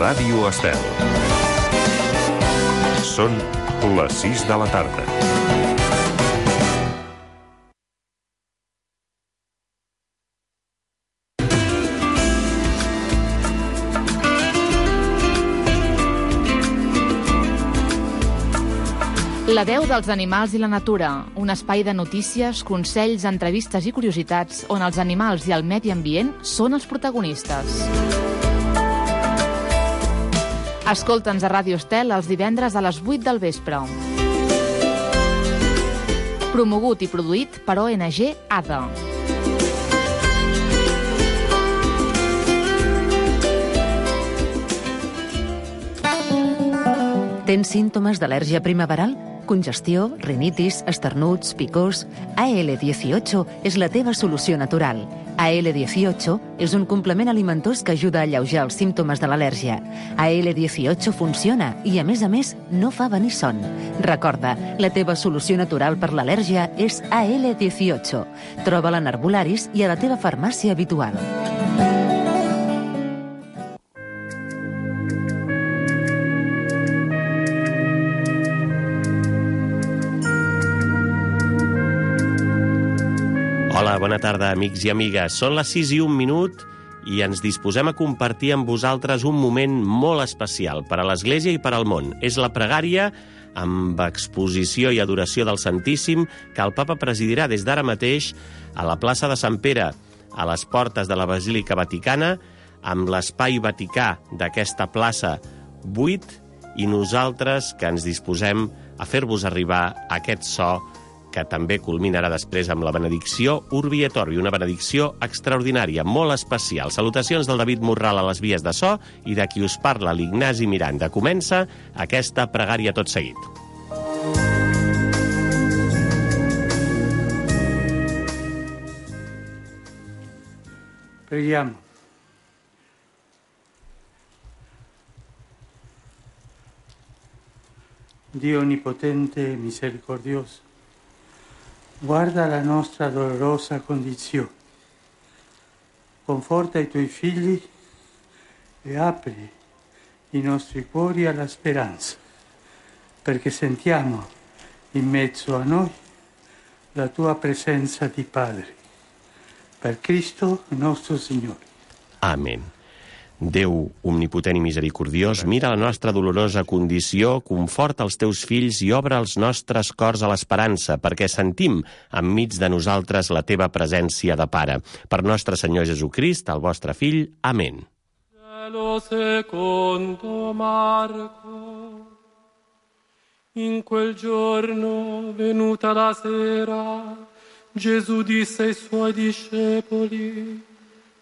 Ràdio Estel. Són les 6 de la tarda. La veu dels animals i la natura, un espai de notícies, consells, entrevistes i curiositats on els animals i el medi ambient són els protagonistes. Escolta'ns a Ràdio Estel els divendres a les 8 del vespre. Promogut i produït per ONG ADA. Tens símptomes d'al·lèrgia primaveral? Congestió, rinitis, esternuts, picors... AL18 és la teva solució natural. AL18 és un complement alimentós que ajuda a alleujar els símptomes de l'al·lèrgia. AL18 funciona i, a més, no fa venir son. Recorda, la teva solució natural per l'al·lèrgia és AL18. Troba-la en herbolaris i a la teva farmàcia habitual. Hola, bona tarda, amics i amigues. Són les 6 i 1 minut i ens disposem a compartir amb vosaltres un moment molt especial per a l'Església i per al món. És la pregària amb exposició i adoració del Santíssim que el Papa presidirà des d'ara mateix a la plaça de Sant Pere, a les portes de la Basílica Vaticana, amb l'espai vaticà d'aquesta plaça buit, i nosaltres que ens disposem a fer-vos arribar aquest so que també culminarà després amb la benedicció Urbi et Orbi, una benedicció extraordinària, molt especial. Salutacions del David Morral a les vies de so i de qui us parla, l'Ignasi Miranda. Comença aquesta pregària tot seguit. Preghiamo. Dio onnipotente e misericordioso, guarda la nostra dolorosa condizione, conforta i tuoi figli e apri i nostri cuori alla speranza, perché sentiamo in mezzo a noi la tua presenza di Padre. Per Cristo nostro Signore. Amen. Déu omnipotent i misericordiós, mira la nostra dolorosa condició, conforta els teus fills i obre els nostres cors a l'esperança, perquè sentim enmig de nosaltres la teva presència de Pare. Per nostre Senyor Jesucrist, el vostre Fill. Amen. Secondo Marco, in quel giorno, venuta la sera, Gesù disse ai suoi discepoli: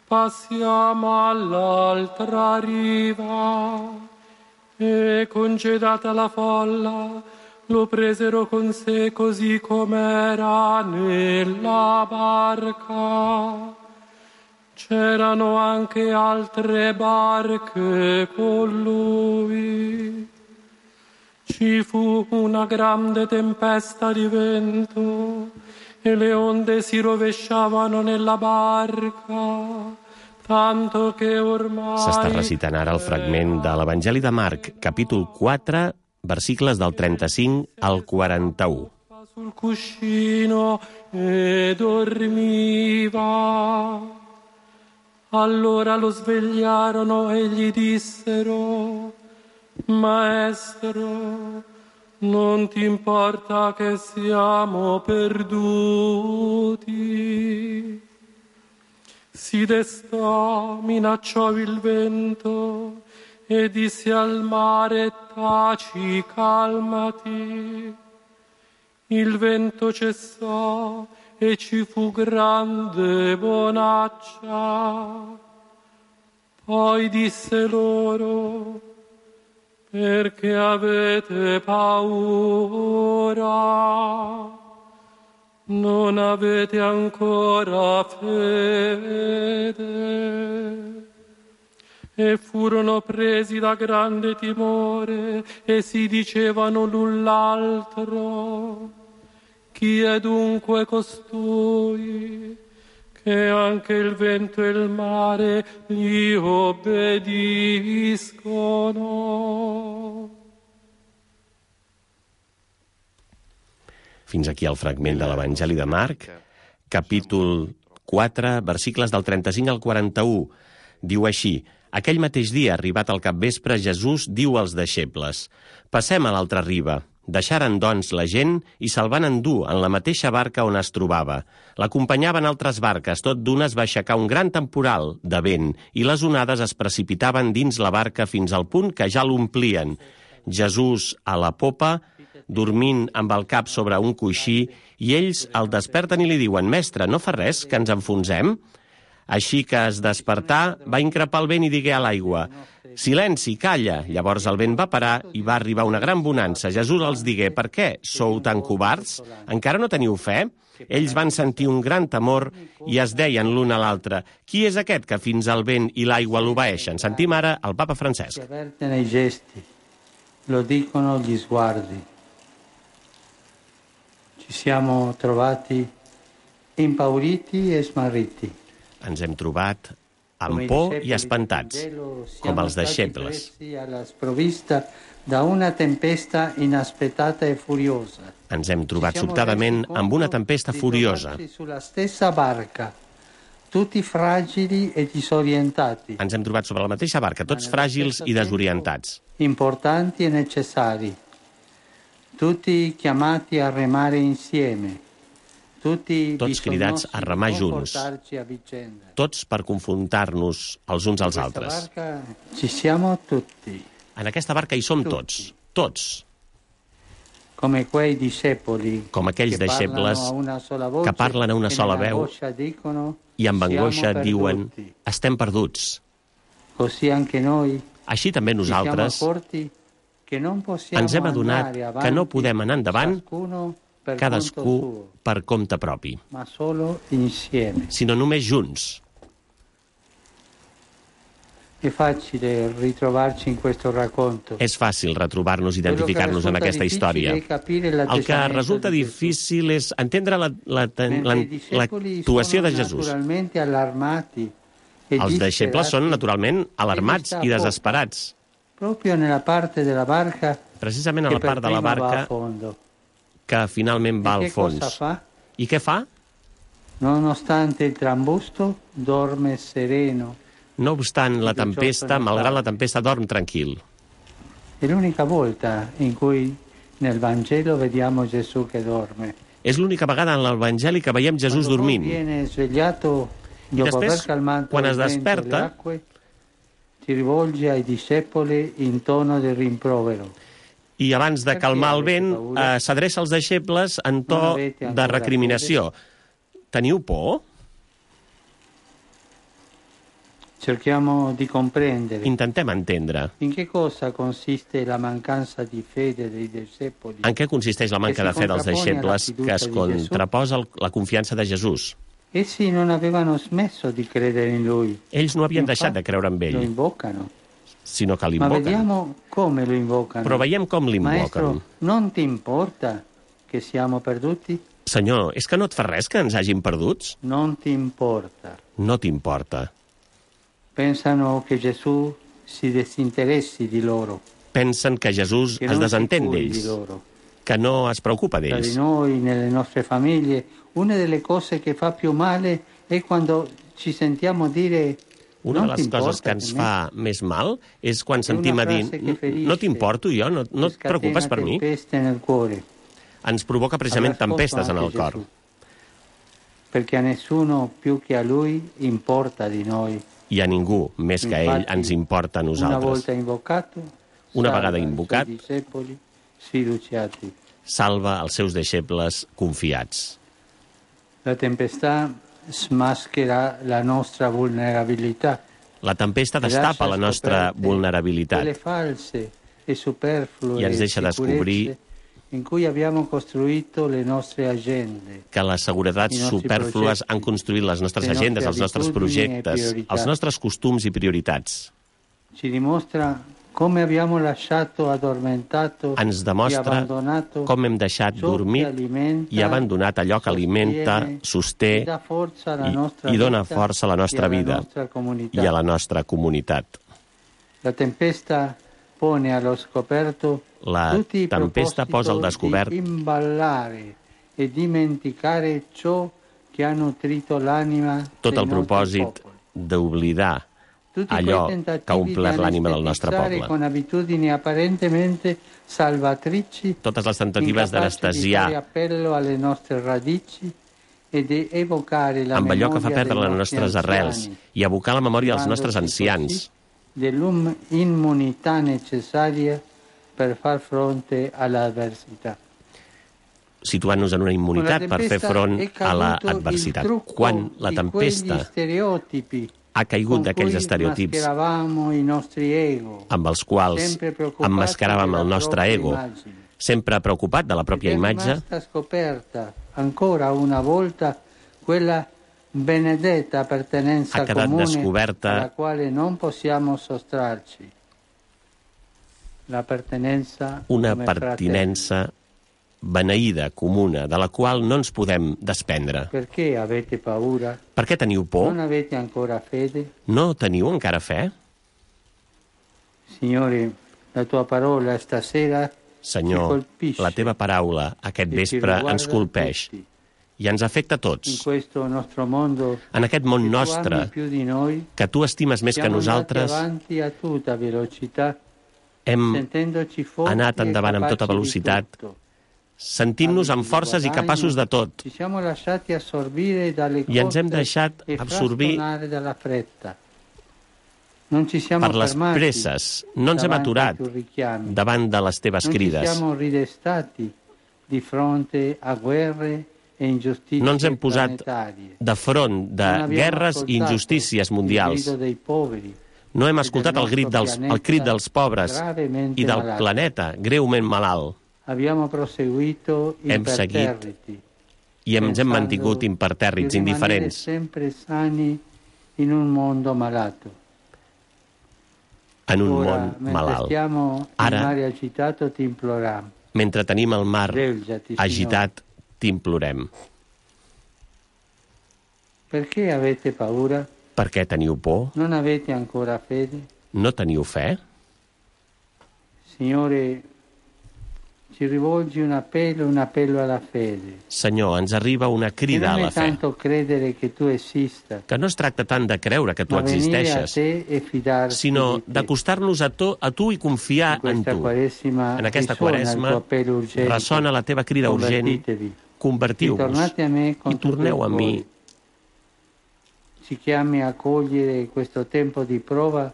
passiamo all'altra riva. E congedata la folla, lo presero con sé così com'era nella barca. C'erano anche altre barche con lui. Ci fu una grande tempesta di vento e le onde si rovesciavano nella barca, tanto che ormai... S'està recitant ara el fragment de l'Evangeli de Marc, capítol 4, versicles del 35 al 41. Sul cuscino e dormiva. Allora lo svegliarono e gli dissero: Maestro, non ti importa che siamo perduti? Si destò, minacciò il vento e disse al mare: taci, calmati. Il vento cessò e ci fu grande bonaccia. Poi disse loro: perché avete paura? Non avete ancora fede? E furono presi da grande timore e si dicevano l'un l'altro: chi è dunque costui che e anche il vento e il mare gli obbediscono. Fins aquí el fragment de l'Evangeli de Marc, capítol 4, versicles del 35 al 41. Diu així: aquell mateix dia, arribat al capvespre, Jesús diu als deixebles: passem a l'altra riba. Deixaren, doncs, la gent i se'l van endur en la mateixa barca on es trobava. L'acompanyaven altres barques, tot d'una es va aixecar un gran temporal de vent i les onades es precipitaven dins la barca fins al punt que ja l'omplien. Jesús a la popa, dormint amb el cap sobre un coixí, i ells el desperten i li diuen: mestre, no fa res, que ens enfonsem? Així que es despertà, va increpar el vent i digué a l'aigua: silenci, calla. Llavors el vent va parar i va arribar una gran bonança. Jesús els digué: per què sou tan covards? Encara no teniu fe? Ells van sentir un gran temor i es deien l'un a l'altre: qui és aquest que fins al vent i l'aigua l'obeeixen? Sentim ara el papa Francesc. Si avverten i gesti, lo dicono gli sguardi. Ci siamo trovati impauriti e smarriti. Ens hem trobat amb por i espantats, com els deixebles. Da una tempesta inaspettata e furiosa. Ens hem trobat sobtadament amb una tempesta furiosa. Sulla stessa barca, tutti fragili e disorientati. Ens hem trobat sobre la mateixa barca, tots fràgils i desorientats. Importanti e necessari. Tutti chiamati a remare insieme. Tots cridats a remar junts, tots per confrontar-nos els uns als altres. En aquesta barca hi som tots, tots. Com aquells deixebles que parlen a una sola veu i amb angoixa diuen: estem perduts. Així també nosaltres ens hem adonat que no podem anar endavant cadascú per compte propi, sinó només junts. És fàcil retrobar-nos, identificar-nos en aquesta història. El que resulta difícil és entendre l'actuació de Jesús. Els deixebles són naturalment alarmats i desesperats. Precisament a la part de la barca que finalment va al fons. I què fa? No obstant la tempesta, malgrat la tempesta, dorm tranquil. És l'única vegada en l'Evangeli que veiem Jesús dormint. I després, quan es desperta, i abans de calmar el vent, s'adreça als deixebles en to de recriminació. Teniu por? Intentem entendre. En què consisteix la manca de fe dels deixebles que es contraposa la confiança de Jesús? Ells no havien deixat de creure en ell, sinó que l'invoquen. Però veiem com l'invoquen. Senyor, és que no et fa res que ens hagin perduts? No t'importa. Pensen que Jesús es desentén d'ells, que no es preocupa d'ells. Una de les coses que ens fa més mal és quan sentim a dir: no t'importo jo, no et preocupes per mi. Ens provoca precisament tempestes en el cor. I a ningú, més que a ell, ens importa a nosaltres. Una vegada invocat, salva els seus deixebles confiats. La tempesta destapa la nostra vulnerabilitat i ens deixa descobrir que les seguretats supèrflues han construït les nostres agendes, els nostres projectes, els nostres costums i prioritats. come abbiamo lasciato addormentato ens e demostra abbandonato com hem deixat ciò che dormit alimenta, i abandonat allò que alimenta, sosté e dà forza alla nostra i dona vita força a la nostra e alla vida nostra comunità. i a la nostra comunitat. La tempesta pone allo scoperto La tutti i tempesta posa al proposito descobert di imballare e dimenticare ciò che ha nutrito l'anima tot dei el nostri propòsit popoli. d'oblidar Tutti allò quei que ha tentativi omplert di l'ànima del nostre anestetizzare poble. con abitudini apparentemente salvatrici, Totes les tentatives incapaci di fare d'anestesiar appello alle nostre radici e di evocare la amb allò que fa memoria perdre dei les nostri nostres arrels anziani, i abocar la memòria dels nostres privandoci ancians, così dell'immunità necessaria per far fronte all'avversità. situant-nos en una immunitat per fer front a l'adversitat. Quan la tempesta ha caigut d'aquells estereotips amb els quals emmascaràvem el nostre ego, sempre preocupat de la pròpia imatge, ancora una volta quella benedetta appartenenza ha quedat comune descoberta alla quale non possiamo sottrarci. L'appartenenza una come fratelli. pertinença beneïda, comuna, de la qual no ens podem desprendre. Perché avete paura? Per què teniu por? Non avete ancora fede? No teniu encara fe? Signore, la tua parola stasera Senyor, la teva paraula aquest vespre ens colpeix i ens afecta a in tots. questo nostro mondo En aquest món che tu nostre, ami più di noi, que tu estimes més que siamo andati nosaltres, avanti a tutta velocità, hem sentendoci forti anat e endavant amb tota capaci di velocitat, tutto. sentint-nos amb forces i capaços de tot, Ci siamo lasciati assorbire dalle i ens hem corse deixat e absorbir frastonare dalla fretta. Non ci siamo per les fermati presses. No ens hem davanti ai aturat tuoi richiami. davant de les teves Non ci crides. siamo ridestati di fronte a guerre e ingiustizie No ens hem posat planetarie. de front de Non abbiamo guerres i ascoltato injustícies il mundials. grido dei poveri, No hem del escoltat el nostre crit dels pobres gravemente i del malato. planeta greument malalt. Abbiamo proseguito Hem seguit imperterriti, i ens hem pensando mantingut di impertèrrits, rimanere indiferents. sempre sani in un mondo malato. En un Ora, món mentre malalt. stiamo in Ara, mare agitato, ti imploriamo. mentre tenim el mar Svegliati, Signore. agitat, t'implorem. Perché avete paura? Per què teniu por? Non avete ancora fede? No teniu fe? Signore, ci rivolgi un appello alla fede. Senyor, ens arriba una Che crida a non la è fe. tanto credere che tu esista, Que no es tracta tant de creure que tu ma venire a existeixes, te e fidarsi sinó di te. d'acostar-nos a tu i confiar In en questa tu. Quaresima En aquesta risuona il Quaresma tuo appello urgente. ressona la teva crida urgent. Convertitevi. Convertiu-vos Ritornate a me con i torneu tutto a il mi. cuore. Ci chiami a cogliere questo tempo di prova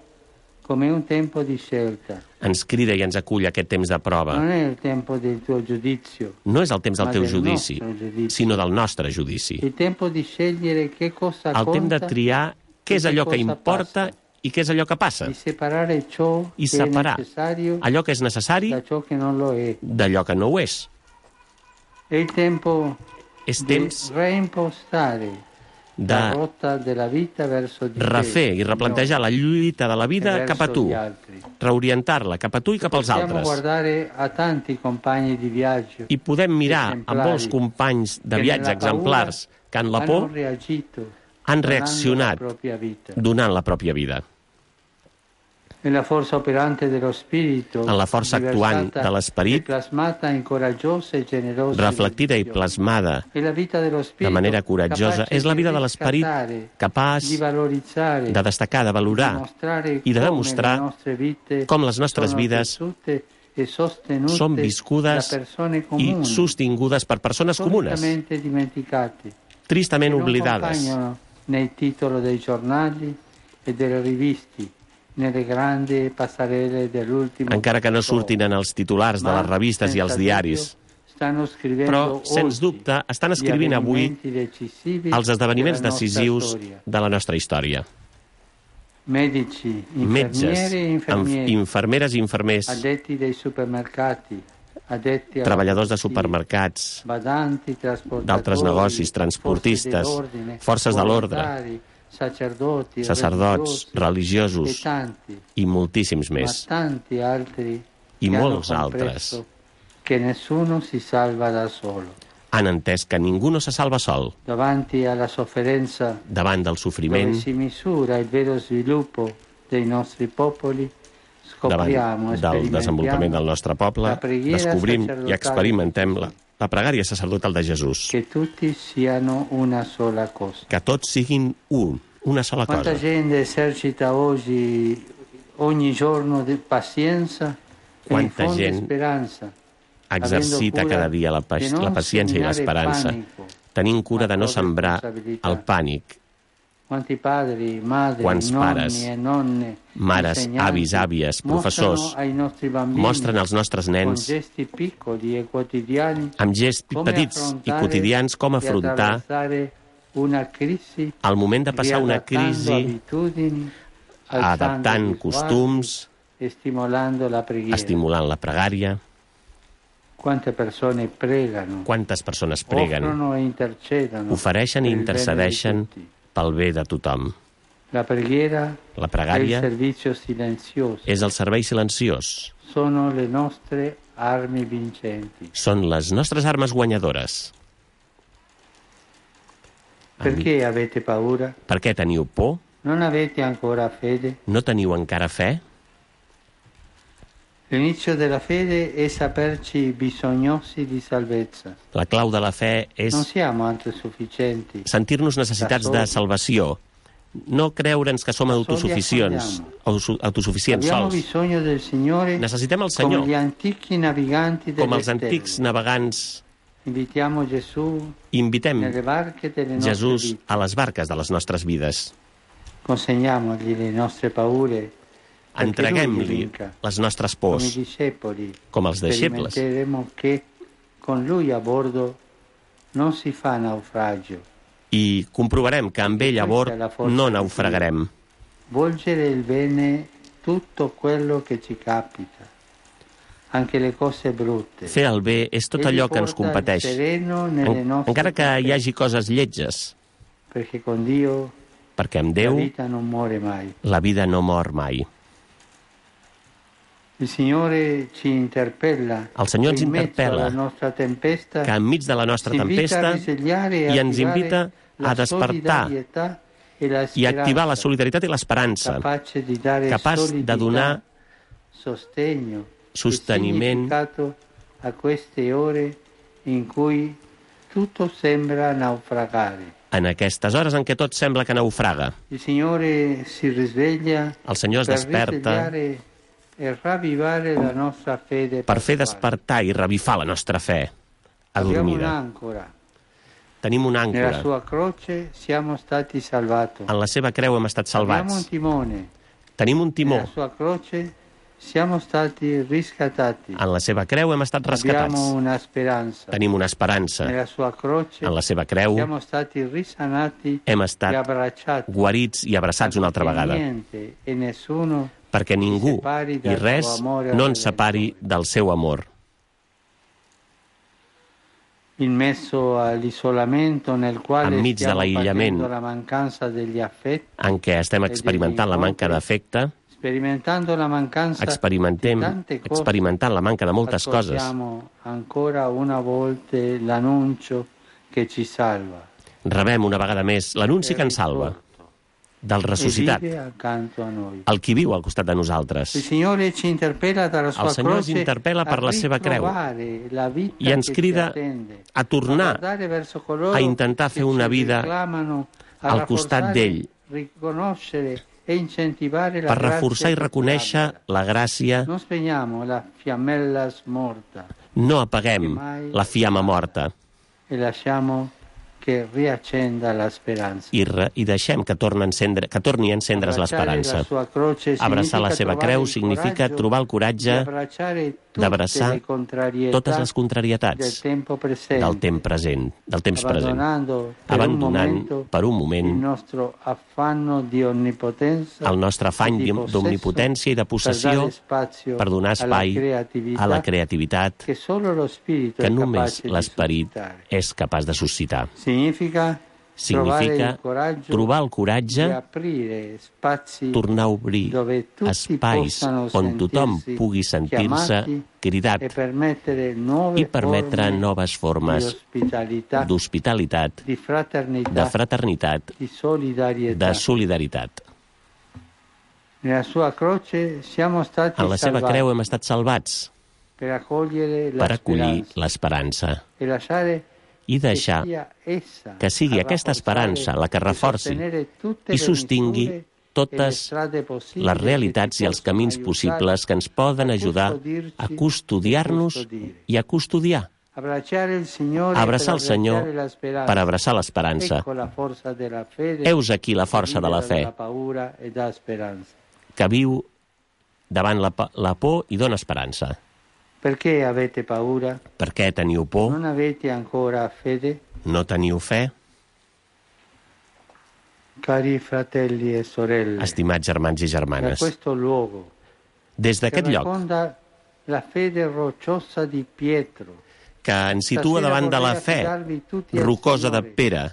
come un tempo di scelta. Ens crida i ens acull aquest temps de prova. Non è il tempo del tuo giudizio, No és el temps del ma teu del judici, nostro giudizio. sinó del nostre judici. il tempo di scegliere che cosa El temps de conta, triar què és e allò cosa que importa passa, i què és allò que passa. di separare ciò I che separar è necessario allò que és necessari da ciò che non lo è. d'allò que no ho és. È il tempo És di temps reimpostare la de rotta della vita verso di refer te, i replantejar la lluita de la e vida verso cap a tu, gli altri. reorientar-la cap a tu i cap als Possiamo altres. guardare a tanti compagni di viaggio I podem mirar a exemplari molts companys de che viatge nella paura exemplars que en la hanno por reagito han donando reaccionat la propria vita. donant la pròpia vida. Nella forza operante dello spirito, En la força actuant riversata de l'esperit, e plasmata in coraggiosa e generosa reflectida i dedizione. plasmada E la vita dello de spirito, manera coratjosa, capace és la di vida de l'esperit riscattare, capaç di valorizzare, de destacar, de valorar dimostrare i de come demostrar le nostre vite com les nostres sono vides tessute e sostenute són viscudes da persone i comuni, sostingudes per persones comunes, storicamente dimenticate, tristament che non oblidades, compaiono nei titoli dei giornali e delle riviste, nelle grandi passerelle dell'ultimo encara que no surtin en els titulars de les revistes i els diaris. Però, sens dubte, estan escrivint avui els esdeveniments decisius de la nostra història. Metges, Metges, infermieri, infermeres i infermers, addetti dei supermercati, addetti alla treballadors de polizia, supermercats, badanti, trasportatori, d'altres negocis, transportistes, forces de l'ordre, sacerdots, religiosos i moltíssims més, i molts altres, han entès que ningú no se salva sol. Davant del sofriment, davant del desenvolupament del nostre poble, descobrim i experimentem la pregària sacerdotal de Jesús. Que tots siguin una sola cosa. Quanta gent esercita oggi ogni giorno di pazienza e infonde speranza. Exercita cada dia la paciència i l'esperança, tenint cura de no sembrar el pànic. Quants pares, mares, avis, àvies, professors mostren als nostres nens amb gests petits i quotidians com afrontar el moment de passar una crisi, adaptant costums, estimulant la pregària. Quantes persones preguen, ofereixen i intercedeixen pel bé de tothom. La pregària és el servei silenciós. Són les nostres armes guanyadores. Per què teniu por? No teniu encara fe? L'inizio della fede è saperci bisognosi di salvezza. La clau de la fe és sentir-nos necessitats de salvació, no creure'ns que som autosuficients sols. Necessitem el Senyor, com els antics navegants. Invitem Jesús a les barques de les nostres vides. Consegniamogli le nostre paure. Entreguem-li les nostres pors, com els deixebles. I comprovarem que amb ell a bord no naufragarem. Fer el bé és tot allò que ens competeix, encara que hi hagi coses lletges, perquè amb Déu la vida no mor mai. El Senyor ens interpel·la que enmig de la nostra tempesta i ens invita a despertar i a activar la solidaritat i l'esperança, capaç de donar sosteniment a queste ore in cui tutto sembra naufragare. En aquestes hores en què tot sembla que naufraga. El Senyor es desperta per fer despertar i revifar la nostra fe adormida. Tenim una àncora. En la seva creu hem estat salvats. Tenim un timó. En la seva creu hem estat rescatats. Tenim una esperança. En la seva creu hem estat guarits i abraçats una altra vegada. Perquè ningú i res no ens separi del seu amor. Enmig de l'aïllament en què estem experimentant la manca d'afecte, experimentant la manca de moltes coses, rebem una vegada més l'anunci que ens salva, del ressuscitat, el qui viu al costat de nosaltres. El Senyor ens interpel·la per la seva creu i ens crida a tornar a intentar fer una vida al costat d'ell, per reforçar i reconèixer la gràcia. No apaguem la fiamma morta i deixem que torni a encendre's l'esperança. Abraçar la seva creu significa trobar el coratge d'abraçar totes les contrarietats del temps present, abandonant per un moment el nostre afany d'omnipotència i de possessió per donar espai a la creativitat que només l'esperit és capaç de suscitar. significa trobar el coratge, tornar a obrir espais on tothom pugui sentir-se cridat i permetre noves formes d'hospitalitat, de fraternitat, de solidaritat. En la seva creu hem estat salvats per acollir l'esperança i deixar que sigui aquesta esperança la que reforci i sostingui totes les realitats i els camins possibles que ens poden ajudar a custodiar-nos i a custodiar. Abraçar el Senyor per abraçar l'esperança. Heus aquí la força de la fe, que viu davant la por i dona esperança. Per què teniu por? No teniu fe? Estimats germans i germanes, des d'aquest lloc, que ens situa davant de la fe rocosa de Pere,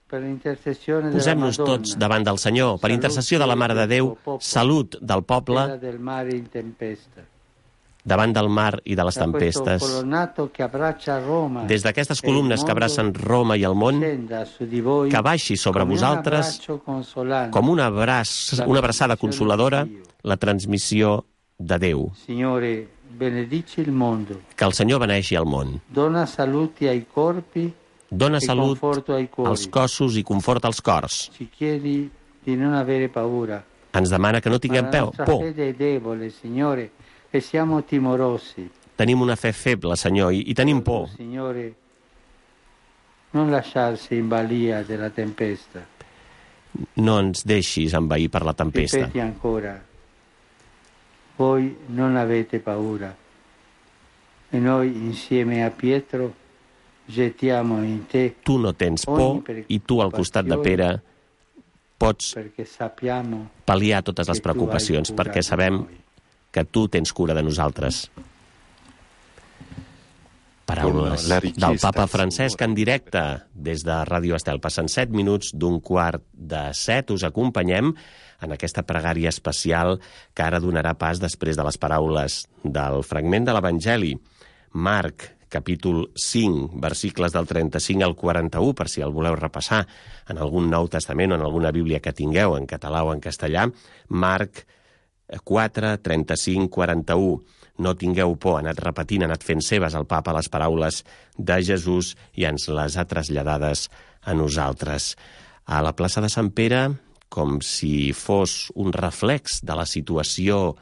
posem-nos tots davant del Senyor, per intercessió de la Mare de Déu, salut del poble, davant del mar i de les tempestes, des d'aquestes columnes que abracen Roma i el món, que baixi sobre vosaltres com una abraçada consoladora la transmissió de Déu. Que el Senyor beneixi el món. Dona salut als cossos i confort als cors. Ens demana que no tinguem por. Tenim una fe feble, Senyor, i tenim por. No ens deixis envair per la tempesta. Voi non avete paura e noi insieme a Pietro gettiamo in te. Tu no tens por i tu al costat de Pere pots pal·liar totes les preocupacions perquè sabem que tu tens cura de nosaltres. Paraules del papa Francesc en directe des de Ràdio Estel. Passen 7 minuts d'un 6:45. Us acompanyem en aquesta pregària especial que ara donarà pas després de les paraules del fragment de l'Evangeli. Marc, capítol 5, versicles del 35 al 41, per si el voleu repassar en algun Nou Testament o en alguna Bíblia que tingueu, en català o en castellà. Marc 4, 35, 41. No tingueu por, ha anat repetint, ha anat fent seves el papa les paraules de Jesús i ens les ha traslladades a nosaltres. A la plaça de Sant Pere, com si fos un reflex de la situació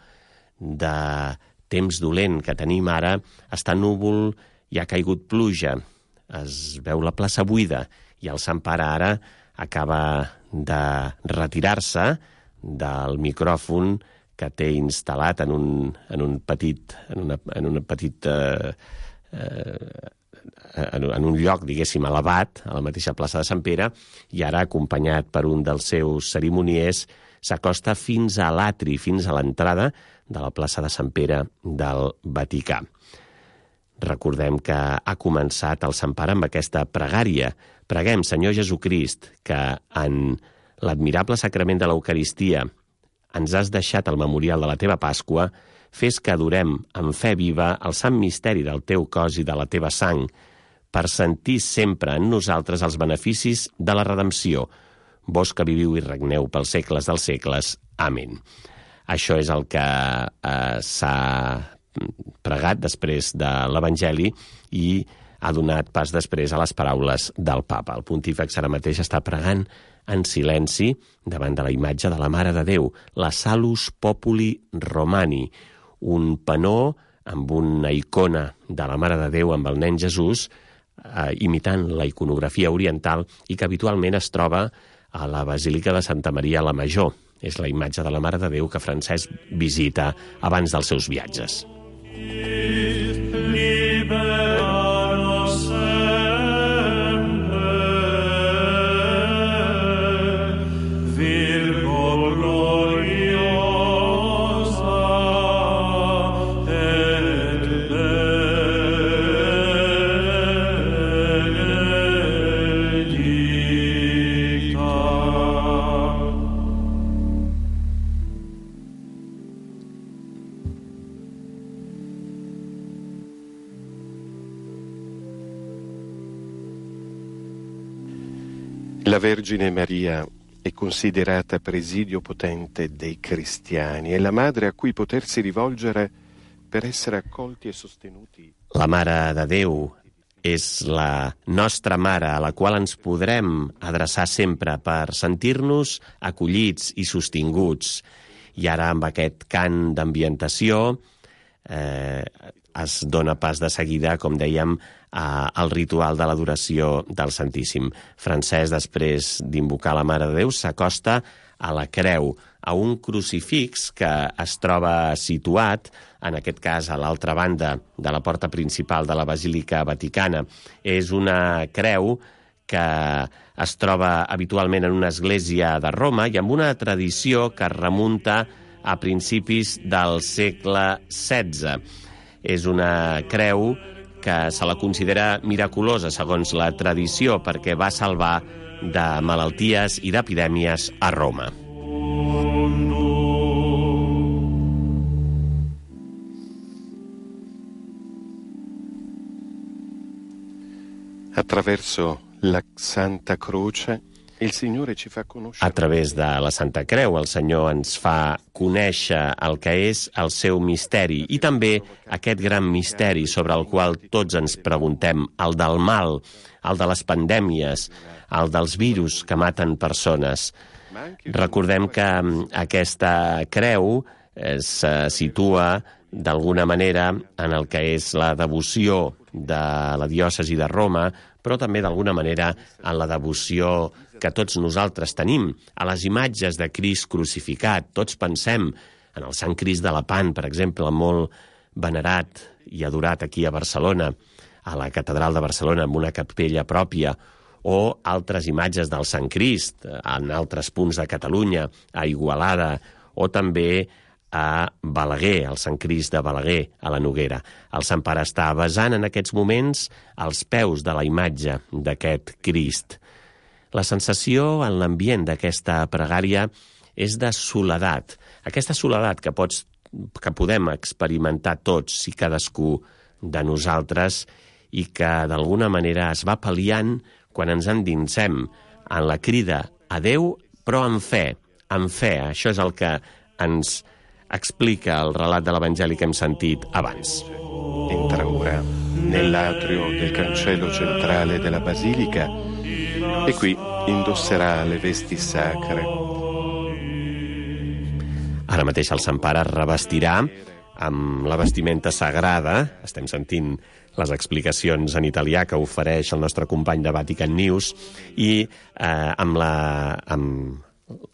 de temps dolent que tenim ara, està núvol i ha caigut pluja. Es veu la plaça buida i el Sant Pare ara acaba de retirar-se del micròfon que té instal·lat en un lloc, diguéssim, elevat, a la mateixa plaça de Sant Pere, i ara, acompanyat per un dels seus cerimoniers, s'acosta fins a l'atri, fins a l'entrada de la plaça de Sant Pere del Vaticà. Recordem que ha començat el Sant Pare amb aquesta pregària. Preguem, Senyor Jesucrist, que en l'admirable sacrament de l'Eucaristia ens has deixat el memorial de la teva Pasqua, fes que adorem amb fe viva el sant misteri del teu cos i de la teva sang, per sentir sempre en nosaltres els beneficis de la redempció. Vos que viviu i regneu pels segles dels segles. Amén. Això és el que s'ha pregat després de l'Evangeli i ha donat pas després a les paraules del papa. El pontífex ara mateix està pregant en silenci davant de la imatge de la Mare de Déu, la Salus Populi Romani, un panó amb una icona de la Mare de Déu amb el nen Jesús, imitant la iconografia oriental i que habitualment es troba a la Basílica de Santa Maria la Major. És la imatge de la Mare de Déu que Francesc visita abans dels seus viatges. La Vergine Maria è considerata presidio potente dei cristiani, è la madre a cui potersi rivolgere per essere accolti e sostenuti. La Mare de Déu és la nostra mare a la qual ens podrem adreçar sempre per sentir-nos acollits i sostinguts. I ara, amb aquest cant d'ambientació, es dona pas de seguida, com dèiem, al ritual de l'adoració del Santíssim. Francesc, després d'invocar la Mare de Déu, s'acosta a la creu, a un crucifix que es troba situat, en aquest cas a l'altra banda de la porta principal de la Basílica Vaticana. És una creu que es troba habitualment en una església de Roma i amb una tradició que es remunta a principis del segle XVI. És una creu que se la considera miraculosa, segons la tradició, perquè va salvar de malalties i d'epidèmies a Roma. Attraverso la Santa Croce il Signore ci fa conoscere. A través de la Santa Creu, el Senyor ens fa conèixer el que és el seu misteri i també aquest gran misteri sobre el qual tots ens preguntem, el del mal, el de les pandèmies, el dels virus que maten persones. Recordem que aquesta creu se situa d'alguna manera en el que és la devoció de la diòcesi de Roma, però també d'alguna manera en la devoció que tots nosaltres tenim a les imatges de Crist crucificat. Tots pensem en el Sant Crist de Lepant, per exemple, molt venerat i adorat aquí a Barcelona, a la Catedral de Barcelona, amb una capella pròpia, o altres imatges del Sant Crist en altres punts de Catalunya, a Igualada, o també a Balaguer, el Sant Crist de Balaguer, a la Noguera. El Sant Pare està besant en aquests moments als peus de la imatge d'aquest Crist. La sensació en l'ambient d'aquesta pregària és de soledat. Aquesta soledat que podem experimentar tots i cadascú de nosaltres i que d'alguna manera es va pal·liant quan ens endinsem en la crida a Déu, però amb fe. Amb fe, això és el que ens explica el relat de l'Evangeli que hem sentit abans. Entra ora nell'atrio del cancello centrale della basilica e qui indosserà le vesti sacre. Ara mateix el Sant Pare revestirà amb la vestimenta sagrada. Estem sentint les explicacions en italià que ofereix el nostre company de Vatican News i amb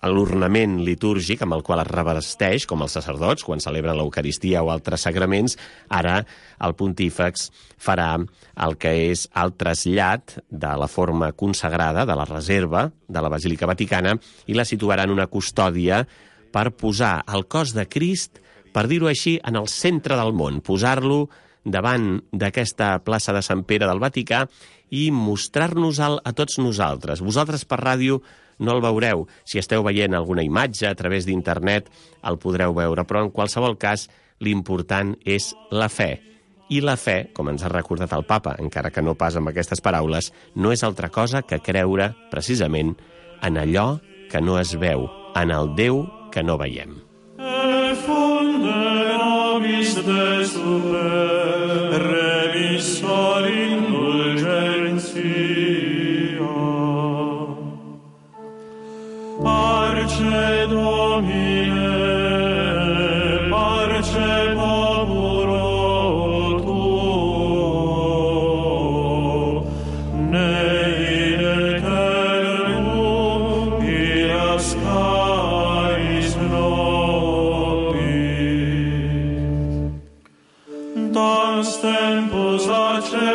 l'ornament litúrgic amb el qual es revesteix, com els sacerdots, quan celebren l'Eucaristia o altres sagraments. Ara el pontífex farà el que és el trasllat de la forma consagrada, de la reserva de la Basílica Vaticana, i la situarà en una custòdia per posar el cos de Crist, per dir-ho així, en el centre del món, posar-lo davant d'aquesta plaça de Sant Pere del Vaticà i mostrar-nos-el a tots nosaltres. Vosaltres per ràdio no el veureu. Si esteu veient alguna imatge a través d'internet el podreu veure, però en qualsevol cas l'important és la fe. I la fe, com ens ha recordat el Papa, encara que no pas amb aquestes paraules, no és altra cosa que creure precisament en allò que no es veu, en el Déu que no veiem. Parce Domine, parce populo tuo, nei eternum iascais nobis. Dans tempus acceptabile,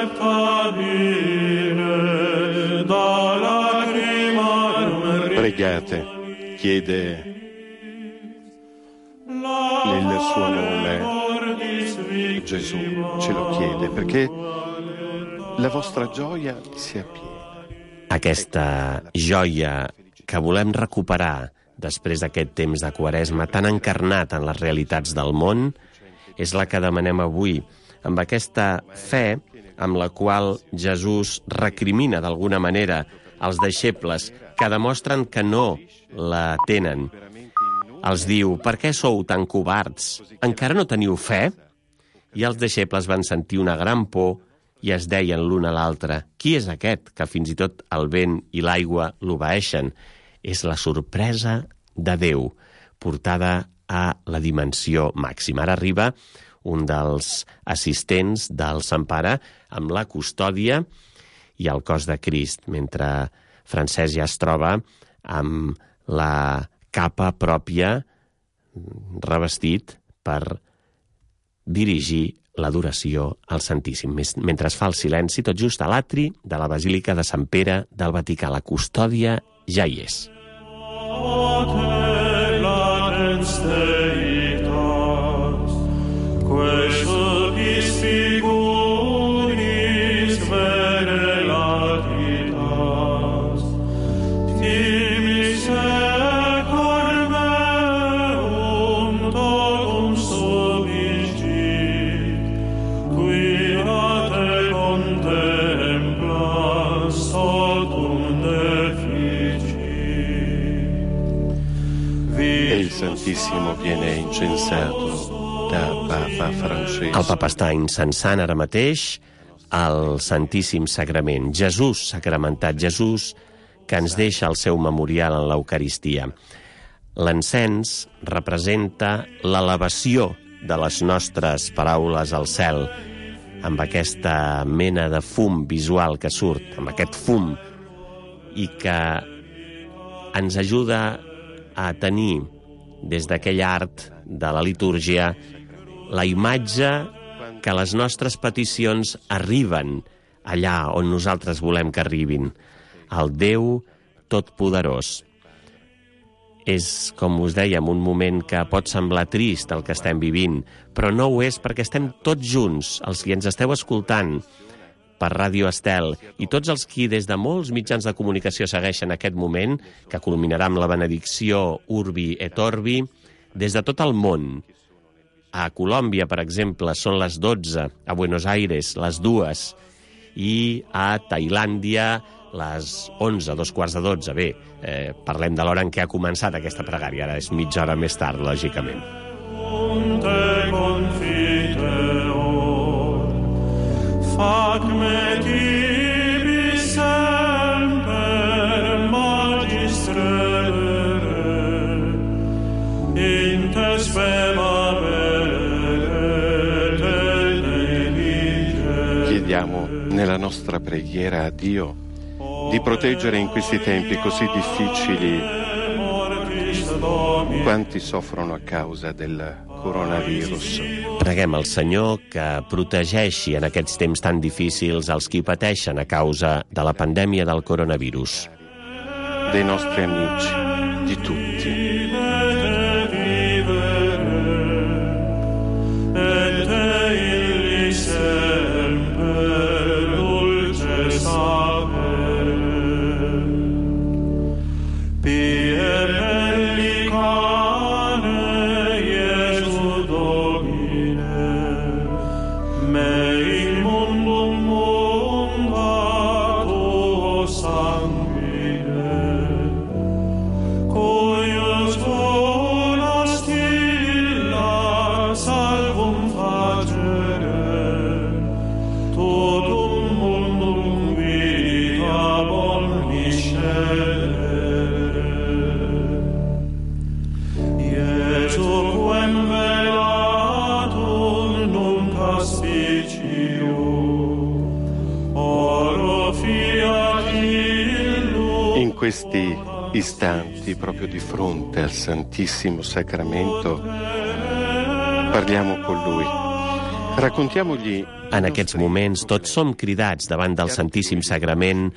da lacrimarum Pregate, chiede nel suo nome, Gesù ce lo chiede, perché la vostra gioia sia piena. Aquesta joia que volem recuperar després d'aquest temps de Quaresma tan encarnat en les realitats del món és la que demanem avui, amb aquesta fe amb la qual Jesús recrimina d'alguna manera als deixebles, que demostren que no la tenen. Els diu: per què sou tan covards? Encara no teniu fe? I els deixebles van sentir una gran por i es deien l'un a l'altre: qui és aquest que fins i tot el vent i l'aigua l'obeeixen? És la sorpresa de Déu, portada a la dimensió màxima. Ara arriba un dels assistents del Sant Pare amb la custòdia i el cos de Crist, mentre Francesc ja es troba amb la capa pròpia revestit per dirigir l'adoració al Santíssim. Mentre es fa el silenci, tot just a l'atri de la Basílica de Sant Pere del Vaticà. La custòdia ja hi és. Santissimo viene incensato da Papa Francesco. El Papa està incensant ara mateix el Santíssim Sagrament. Jesús sacramentat, Jesús que ens deixa el seu memorial en l'Eucaristia. L'encens representa l'elevació de les nostres paraules al cel, amb aquesta mena de fum visual que surt, amb aquest fum, i que ens ajuda a tenir des d'aquell art de la litúrgia la imatge que les nostres peticions arriben allà on nosaltres volem que arribin, al Déu Totpoderós. És, com us dèiem, un moment que pot semblar trist el que estem vivint, però no ho és perquè estem tots junts, els que ens esteu escoltant per Ràdio Estel, i tots els qui des de molts mitjans de comunicació segueixen aquest moment, que culminarà amb la benedicció Urbi et Orbi, des de tot el món. A Colòmbia, per exemple, són les 12, a Buenos Aires les 2, i a Tailàndia les 11, 2:15. Bé, parlem de l'hora en què ha començat aquesta pregària, ara és mitja hora més tard, lògicament. Chiediamo nella nostra preghiera a Dio di proteggere in questi tempi così difficili quanti soffrono a causa del coronavirus. Preguem al Senyor que protegeixi en aquests temps tan difícils els qui pateixen a causa de la pandèmia del coronavirus. Dei nostri amici, di tutti. In questi istanti, proprio di fronte al Santissimo Sacramento, parliamo con Lui. Raccontiamogli. En aquests moments tots som cridats davant del Santíssim Sagrament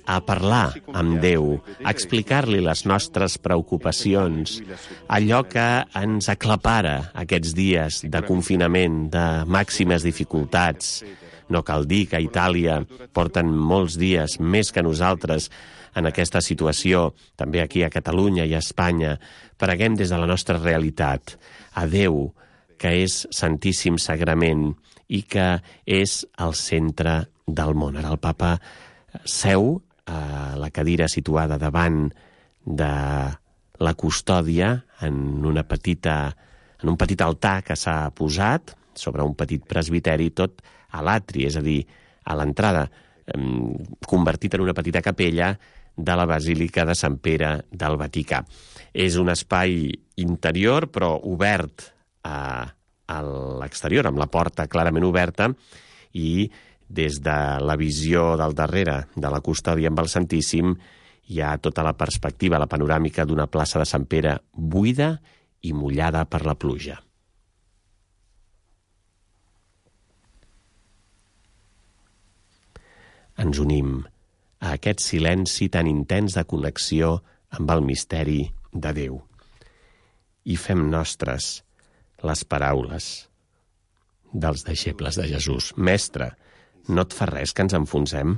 a parlar amb Déu, a explicar-li les nostres preocupacions, allò que ens aclapara aquests dies de confinament, de màximes dificultats. No cal dir que a Itàlia porten molts dies més que nosaltres en aquesta situació, també aquí a Catalunya i a Espanya. Preguem des de la nostra realitat a Déu, que és Santíssim Sagrament i que és el centre del món. Ara el Papa seu la cadira situada davant de la custòdia en un petit altar que s'ha posat sobre un petit presbiteri, tot a l'atri, és a dir, a l'entrada, convertit en una petita capella de la Basílica de Sant Pere del Vaticà. És un espai interior, però obert a l'exterior, amb la porta clarament oberta, i des de la visió del darrere de la custòdia amb el Santíssim hi ha tota la perspectiva, la panoràmica d'una plaça de Sant Pere buida i mullada per la pluja. Ens unim a aquest silenci tan intens de connexió amb el misteri de Déu i fem nostres les paraules dels deixebles de Jesús. Mestre, no et fa res que ens enfonsem?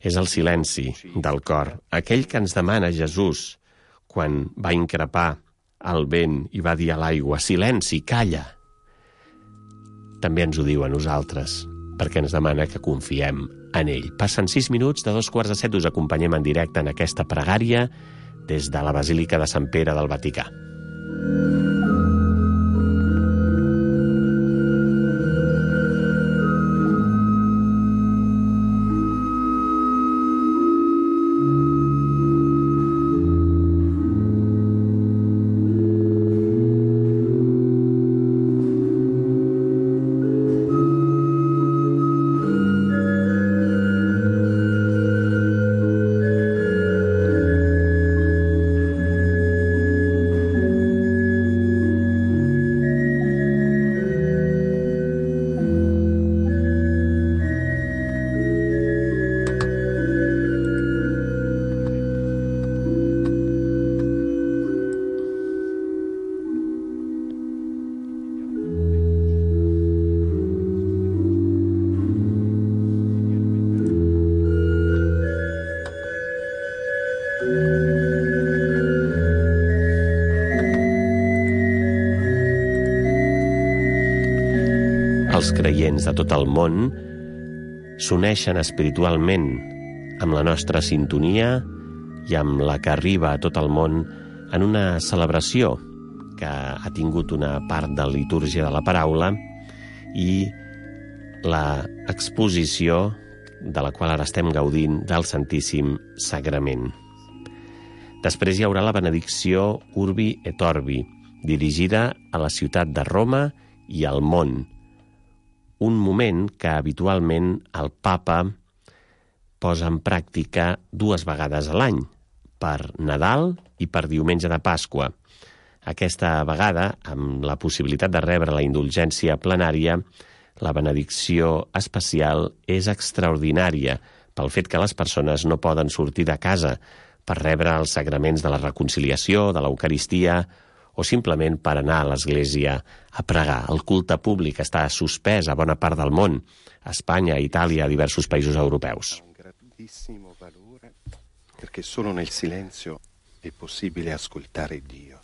És el silenci del cor, aquell que ens demana Jesús quan va increpar el vent i va dir a l'aigua: silenci, calla. També ens ho diu a nosaltres, perquè ens demana que confiem en ell. Passen 6 minuts de 6:45, us acompanyem en directe en aquesta pregària des de la Basílica de Sant Pere del Vaticà. Els creients de tot el món s'uneixen espiritualment amb la nostra sintonia i amb la que arriba a tot el món en una celebració que ha tingut una part de la litúrgia de la paraula i l'exposició de la qual ara estem gaudint del Santíssim Sagrament. Després hi haurà la benedicció Urbi et Orbi, dirigida a la ciutat de Roma i al món, un moment que habitualment el papa posa en pràctica 2 vegades a l'any, per Nadal i per Diumenge de Pasqua. Aquesta vegada, amb la possibilitat de rebre la indulgència plenària, la benedicció especial és extraordinària pel fet que les persones no poden sortir de casa per rebre els sagraments de la reconciliació, de l'Eucaristia, o simplement per anar a l'església a pregar. El culte públic està suspès a bona part del món, a Espanya, a Itàlia, a diversos països europeus. Un grandissimo valore perché solo nel silenzio è possibile ascoltare Dio.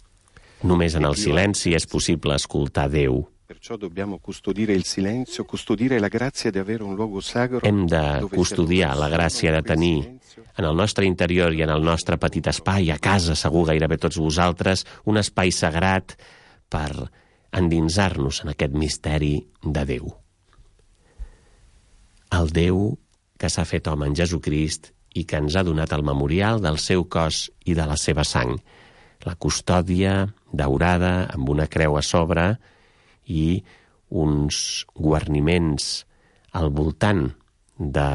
Només en el silenci és possible escoltar Déu. Perciò dobbiamo custodire il silenzio, custodire la grazia di avere un luogo sacro. Hem de custodiar la gràcia de tenir en el nostre interior i en el nostre petit espai, a casa, segur gairebé tots vosaltres, un espai sagrat per endinsar-nos en aquest misteri de Déu. El Déu que s'ha fet home en Jesucrist i que ens ha donat el memorial del seu cos i de la seva sang. La custòdia daurada amb una creu a sobre i uns guarniments al voltant de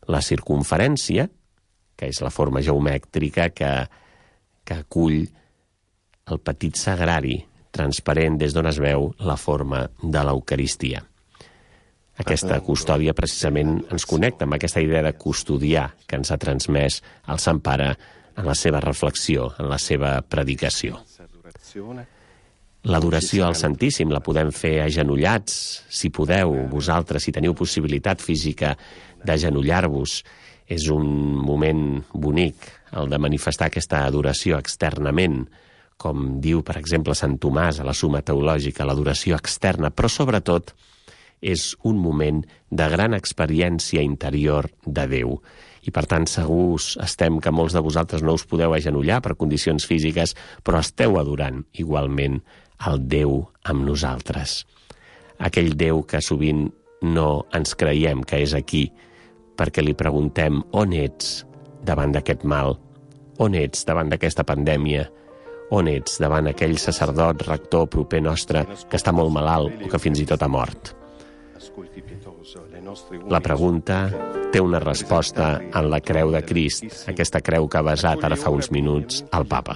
la circumferència, que és la forma geomètrica que acull el petit sagrari transparent des d'on es veu la forma de l'Eucaristia. Aquesta custòdia precisament ens connecta amb aquesta idea de custodiar que ens ha transmès el Sant Pare en la seva reflexió, en la seva predicació. L'adoració al Santíssim la podem fer agenollats, si podeu, vosaltres, si teniu possibilitat física d'agenollar-vos. És un moment bonic, el de manifestar aquesta adoració externament, com diu, per exemple, Sant Tomàs a la Summa Teològica, l'adoració externa, però sobretot és un moment de gran experiència interior de Déu. I per tant segurs estem que molts de vosaltres no us podeu agenollar per condicions físiques, però esteu adorant igualment el Déu amb nosaltres. Aquell Déu que sovint no ens creiem que és aquí, perquè li preguntem on ets davant d'aquest mal, on ets davant d'aquesta pandèmia, on ets davant aquell sacerdot, rector proper nostre que està molt malalt o que fins i tot ha mort. La pregunta té una resposta en la creu de Crist, aquesta creu que ha besat ara fa uns minuts el Papa.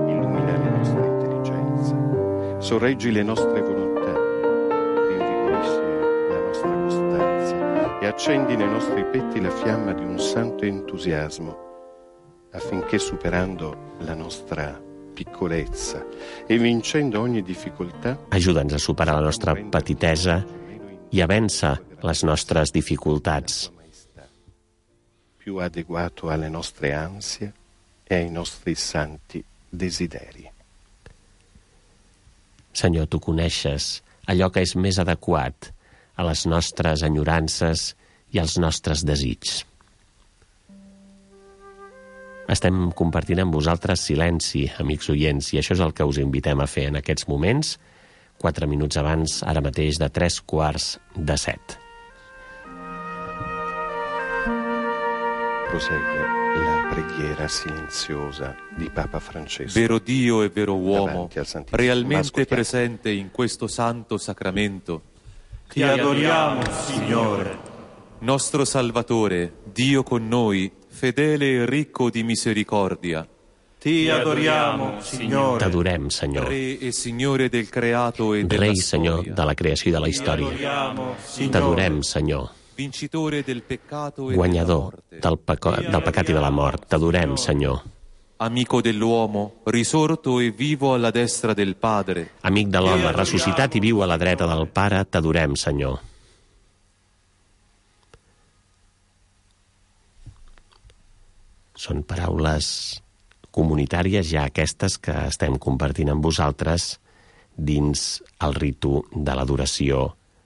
Illumina le nostre intelligenze, sorreggi le nostre volontà, rinvigorisci la nostra costanza e accendi nei nostri petti la fiamma di un santo entusiasmo, affinché superando la nostra piccolezza e vincendo ogni difficoltà, ajuda'ns a superar la nostra petitesa i a vèncer les nostres dificultats. più adeguato alle nostre ansie e ai nostri santi desideri. Senyor, tu coneixes allò que és més adequat a les nostres enyorances i als nostres desigs. Estem compartint amb vosaltres silenci, amics oients, i això és el que us invitem a fer en aquests moments, 4 minuts abans, ara mateix, de 6:45. Prosegue la preghiera silenziosa di Papa Francesco. Vero Dio e vero uomo, davanti al Santissimo. realmente presente in questo santo sacramento. Ti adoriamo, Signore. Nostro Salvatore, Dio con noi, fedele e ricco di misericordia. Ti adoriamo, Signore. T'adorem, Senyor. Re e Signore del creato e della Rei, Senyor, storia. de la creació i de la Ti història. adoriamo, Signore. T'adorem, Senyor. Vincitore del peccato e Guanyador della morte. del pecat i de la mort. T'adorem, Senyor. Amico dell'uomo, risorto e vivo alla destra del Padre. Amic de l'home, ressuscitat i viu a la dreta del Pare, t'adorem, Senyor. Són paraules comunitàries ja aquestes que estem compartint amb vosaltres dins el ritu de l'adoració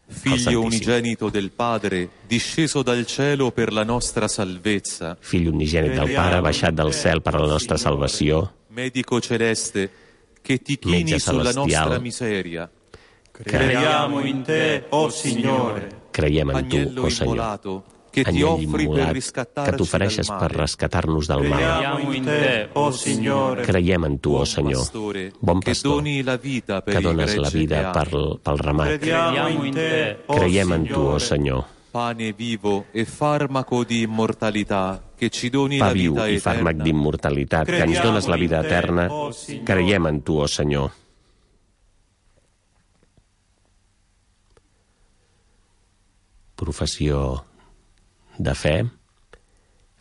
al Figlio Santissimo. unigenito del Padre, disceso dal cielo per la nostra salvezza. Fill unigènit del Pare, baixat del cel per a la nostra salvació, Medico celeste, che ti chini Metge sulla celestial. nostra miseria. Crediamo in te, o Signore. creiem en tu, Agnello o Senyor. immolato, che ti Agnell offri per immolat que riscattarci t'ofereixes dal per male. rescatar-nos del mal. Crediamo in te, o Signore. Creiem en tu, o Buon Senyor, pastore, bon che pastor, doni la vita per que il dones la gregge vida che ami. pel ramat. Crediamo in te, o Creiem en tu, o Signore. Senyor, Pane vivo e farmaco di immortalità, che ci doni pa la viu vita i fàrmac eterna. d'immortalitat, que ens dones la vida eterna. Creiem en tu, o Senyor. Professió de fe,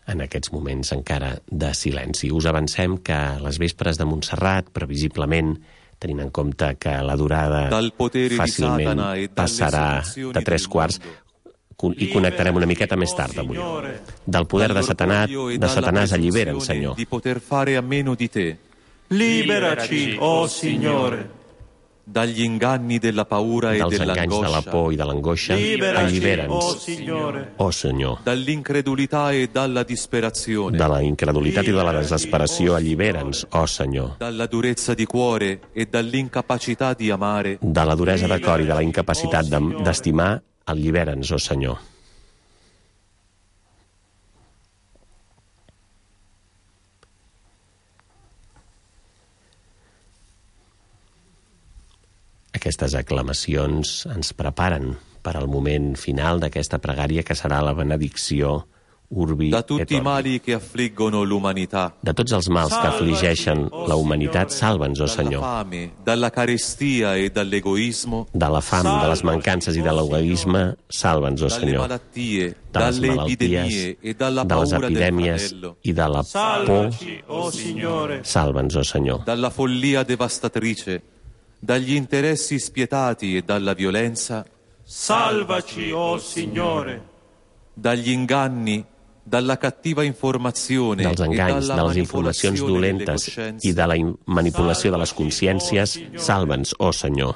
en aquests moments encara de silenci. Us avancem que a les vespres de Montserrat, previsiblement, tenint en compte que la durada Dal potere di fàcilment Satana e dalle passarà seduzioni de 3/4, del i connectarem una miqueta més tard avui. Del poder de dall'orgoglio e dalla Satanàs allibera'n, presunzione Senyor. di poter fare a meno di te, Liberaci, o Signore. dagli inganni della paura e Dels enganys de la dell'angoscia, por i de l'angoixa, Liberaci, o allibera'ns, Signore. oh Senyor. dall'incredulità e dalla disperazione, De la incredulitat i de la desesperació, allibera'ns, oh Senyor. dalla durezza di cuore e dall'incapacità di amare, De la duresa de cor i de la incapacitat d'estimar, allibera'ns, oh Senyor. Aquestes aclamacions ens preparen per al moment final d'aquesta pregària que serà la benedicció Urbi da et tutti i Orbi. mali che affliggono l'umanità, De tots els mals que afligeixen la humanitat, salva'ns, oh dalla Senyor. fame, dalla carestia e dall'egoismo, De la fam, de les mancances i de l'egoisme, salva'ns, oh dalle Senyor. malattie, De les dalle malalties, epidemie e dalla de les paura del epidèmies fratello, i de la por, Salvaci, o Signore. salva'ns, oh Senyor. dalla follia devastatrice, dagli interessi spietati e dalla violenza, Salvaci, o Signore. dagli inganni, dalla cattiva informazione Dels e enganys, dalla de les informacions manipolazione delle dolentes coscienze, i de la manipulació de les consciències, salva'ns, oh Senyor.